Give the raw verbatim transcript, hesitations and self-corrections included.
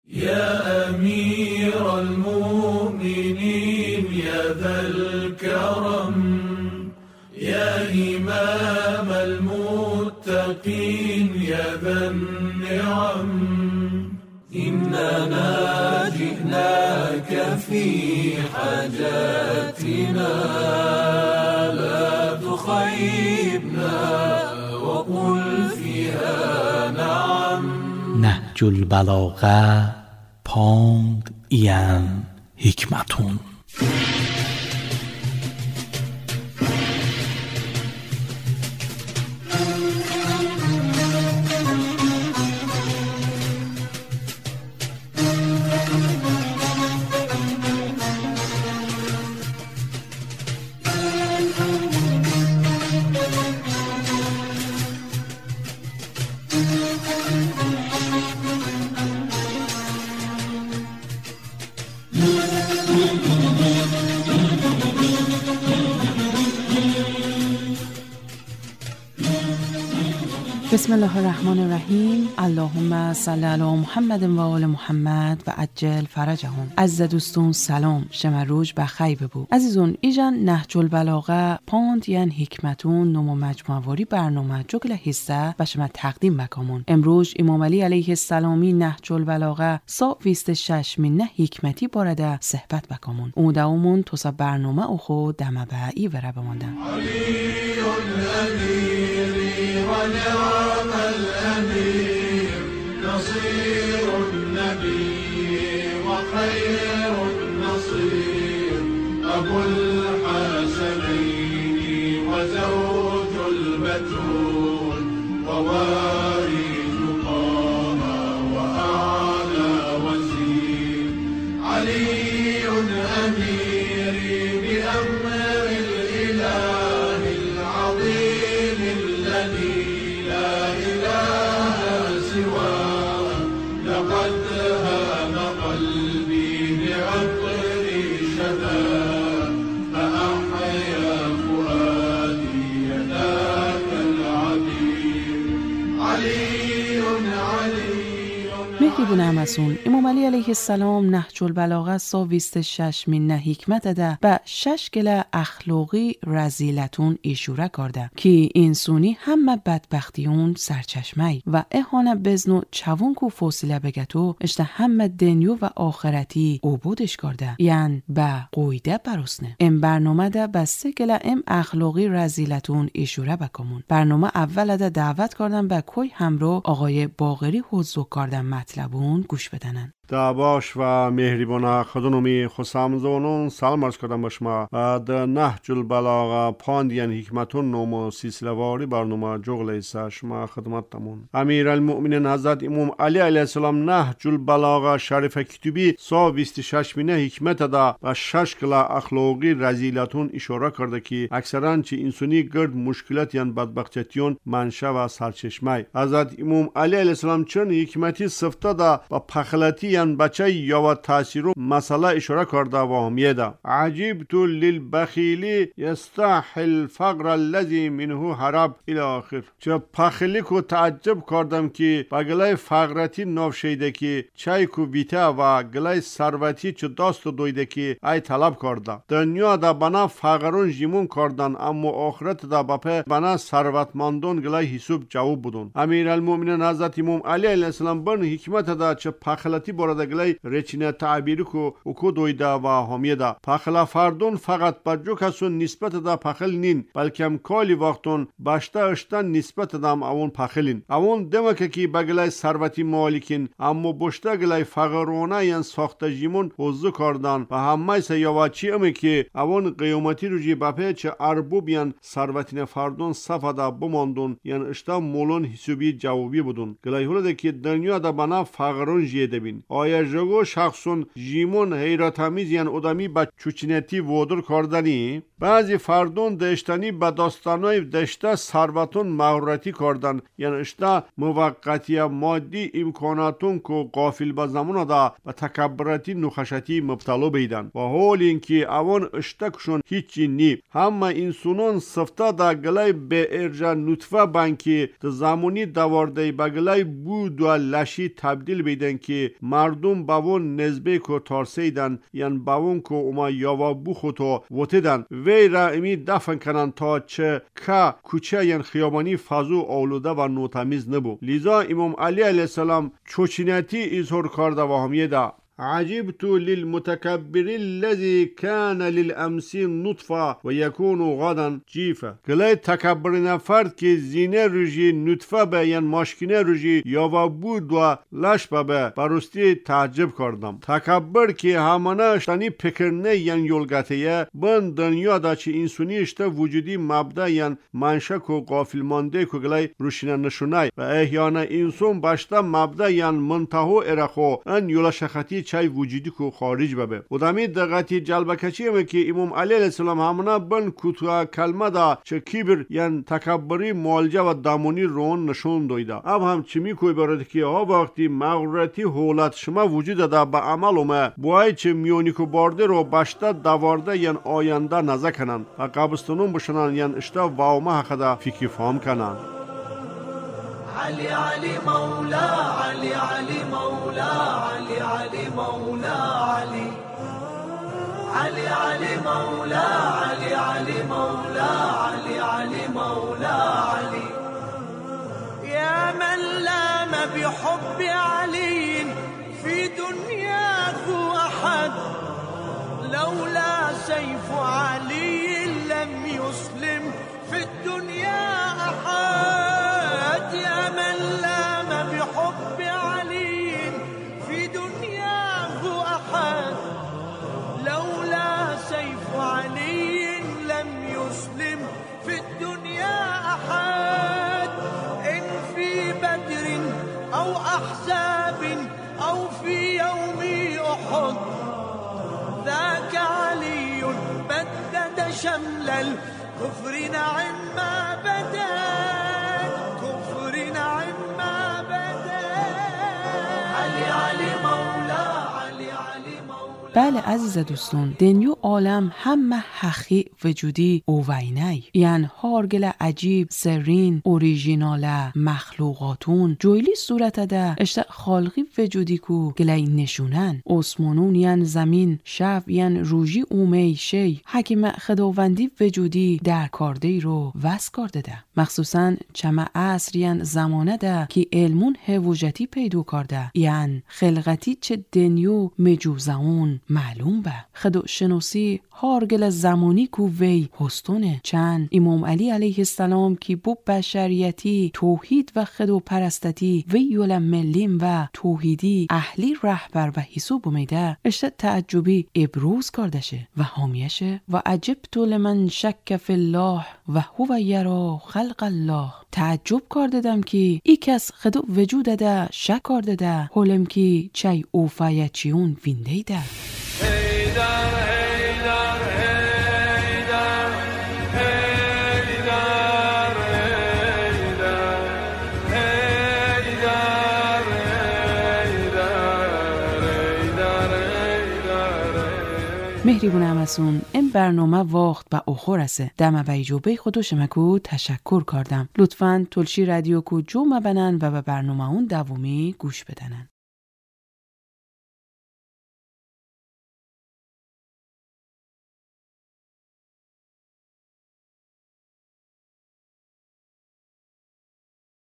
يا أمير المؤمنين يا ذا الكرم يا إمام المتقين يا ذا النعم إننا جئناك في حاجاتنا لا تخيبنا وقل فيها نعم. نهج البلاغه پاند این حکمتون. بسم الله الرحمن الرحیم. اللهم صل علی محمد و آل محمد و عجل فرجهم. عزیز دوستون سلام، شما روز بخیر ببو. عزیزون ایجان نهج البلاغه پاند ین حکمتون نمو مجموعه برنامه جگل حصه و شما تقدیم بکامون. امروز امام علی علیه السلامی نهج البلاغه سا بیست و شش من حکمتی بارده صحبت بکامون. او دومون توسا برنامه او خود دمه به ای وره بماندن. ونعم الأمير نصير النبي وخير النصير أبو الحسنين وزوج البتول ووارث طه وأعلى وزير علي أميري بأمر الإله العظيم الذي لا إله سواه لقد هام قلبي بعطر شذا فأحيا فؤادي ذاك العبير علي علي. مهریبون همسون امام علی علیه السلام نهج البلاغه سا بیست و شش من حکمت ده به شش گله اخلاقی رزیلتون اشاره کرده که انسانی همه بدبختیون سرچشمه و اهانه بزنو چوون کو فاصله بگتو اشته همه دنیا و آخرتی عبودش کرده، یعنی به قویده برسنه. ام برنامه ده به سه گله ام اخلاقی رزیلتون اشاره بکمون. برنامه اول ده دعوت کردن به کوی همراه آقای باقری حضور کردن مطلبون گوش بدنن. دعباش و مهریبانا خدونمی خسامزونون سلام عرض کردم با شما و در نهج البلاغه پاندین حکمتون نوم و سلسله‌واری برنامه جغله شما خدمت تمون. امیر المؤمنین حضرت امام علی علیه السلام نهج البلاغه شریف کتبی سا بیست و شش مینه حکمت دا و شش کلا اخلاقی رزیلتون اشاره کرده که اکثرا چه انسانی گرد مشکلات یان بدبختیون منشأ و سرچشمه. حضرت امام علی علیه السلام چون حکمتی صفته دا و پخلتی بچه یا تاثیر مسئله اشاره کرده و همیه ده. عجیبت للبخیلی یستحل فقر الذی منه هرب الی آخر. چه پخلی کو تعجب کردم که با گلای فقرتی نوشیده که چای کو بیته و گلای ثروتی چه دست دویده که ای طلب کرده. دنیا دا بنا فقرون جیمون کردن اما آخرت دا بپه بنا ثروتمندون گلای حساب جواب بدون. امیرالمؤمنین حضرت امام علی علیه السلام بن حکمت دا چه پخلتی بارده گلای رچینه تعبیری کو اوکو دویده و همیه ده. پخلا فردون فقط با جو کسون نسبت دا پخل نین بلکه کالی وقتون باشته اشتن نسبت دام اون پخلین. اون demek ki بگلای ثروتی مالکین اما بشته گلای فقرونه ین ساخته جیمون حضور کردن و همه سیاواچی امی که اون قیامتی روزی بپه چه اربوب ین ثروتین فردون صفدا بماندون ین اشتا مولون حسابی جوابی بدون. گلای هوله که دنیا دا بنا فقرون جیده بین. آیا جگو شخصون جیمون حیرت آمیز ین ادمی با چوچینتی ودر کردنی؟ بعضی فردون دشتنی با داستانای دشته ثروتون مغرورتی کردن یعنی اشتا موقتی مادی امکاناتون که غافل با زمان دا با تکبرتی نخشتی مبتلا بیدن و حال اینکه اوان اشتا کشون هیچی نی. همه انسانون صفته دا گلای به ارجا نطفه بانکی دا زمانی دوارده با گلای بود و لشی تبدیل بیدن که مردم باون نزبه کو تارسیدن یعنی باون کو اوما یاوا بوخوتو وتدن وی را امی دفن کنن تا چه که کوچه یعنی خیابانی فازو آلوده و نوتمیز نبو. لیزا امام علی علیه السلام چوچینتی اظهار کرده و همیه ده عجبت للمتكبر الذي كان للأمس نطفة ويكون غدا جيفة. گلای تکبر نفرد که زینه رجی نطفه به یعنی ماشکینه رجی یاوا بود و لش به برستی تعجب کردم. تکبر که همانه اشتانی پکرنه یعنی یولگتیه بن دنیا دا چه انسانی اشته وجودی مبدا یعنی منشک و غافل مانده که گلای روشینه نشونای و احیانه انسان باشته مبدا یعنی منتهو ارخو ان یولا شخطی چای وجودی کو خارج ببه. و دمی دقتی جلب کچیمه که امام علی علیه السلام همونه بن کوتاه کلمه دا چه کبر یعنی تکبری معالجه و دامونی رون نشون دویده. اب هم چمی کوی برد که ها وقتی مغرورتی حالت شما وجود دا به عمل اومه بای چه میونی کو بارده رو باشته دوارده یعنی آینده نزه کنن و قبستانون بشنن یعنی اشته واومه حقدا فکر فهم کنن. علي علي مولا علي علي مولا علي علي مولا علي علي علي مولا علي علي مولا علي علي مولا علي يا من لام بحب علي في دنياه أحد لولا سيف علي لم يسلم في الدنيا أحد يا من لام بحب علي في دنياه أحد لولا سيف علي لم يسلم في الدنيا أحد إن في بدر أو أحزاب أو في يوم أحد ذاك علي بدد شمل الكفر نعم ما بدت كفر نعم ما بدت علي علي مولا علي علي مولا. بله عزیز دوستون، دنیو عالم همه حقی وجودی اوینی یعنی هارگل عجیب سرین اوریژیناله مخلوقاتون جویلی صورت ده اشت خالقی وجودی کو گلی نشونن اسمانون یعنی زمین شب یعنی روژی اومی شی حکیم خداوندی وجودی در کارده رو وس کرده ده مخصوصا چمه عصر یعنی زمانه ده که علمون هوجتی پیدو کرده یعنی خلقتی چه دنیو مجوزاون معلوم به خدو شناسی هارگل زمانی کو وی هستونه چند امام علی علیه السلام کی بو بشریتی توحید و خدو پرستتی وی یول ملیم و توحیدی اهلی رهبر و حساب میده اشت تعجبی ابروز کردشه و حامیشه و عجبت لمن شک فی الله و هو یرا خلق الله. تعجب کردم که ای کس خدو وجود ده شک کرده ده حالم که چای اوفایچیون وینده ده. مهریبون همسون، این برنامه واخت به آخر رسه. دم و ایجوبه خودو شمکو تشکر کردم. لطفاً تلشی رادیو کو جو مبنن و به برنامه اون دومی گوش بدنن.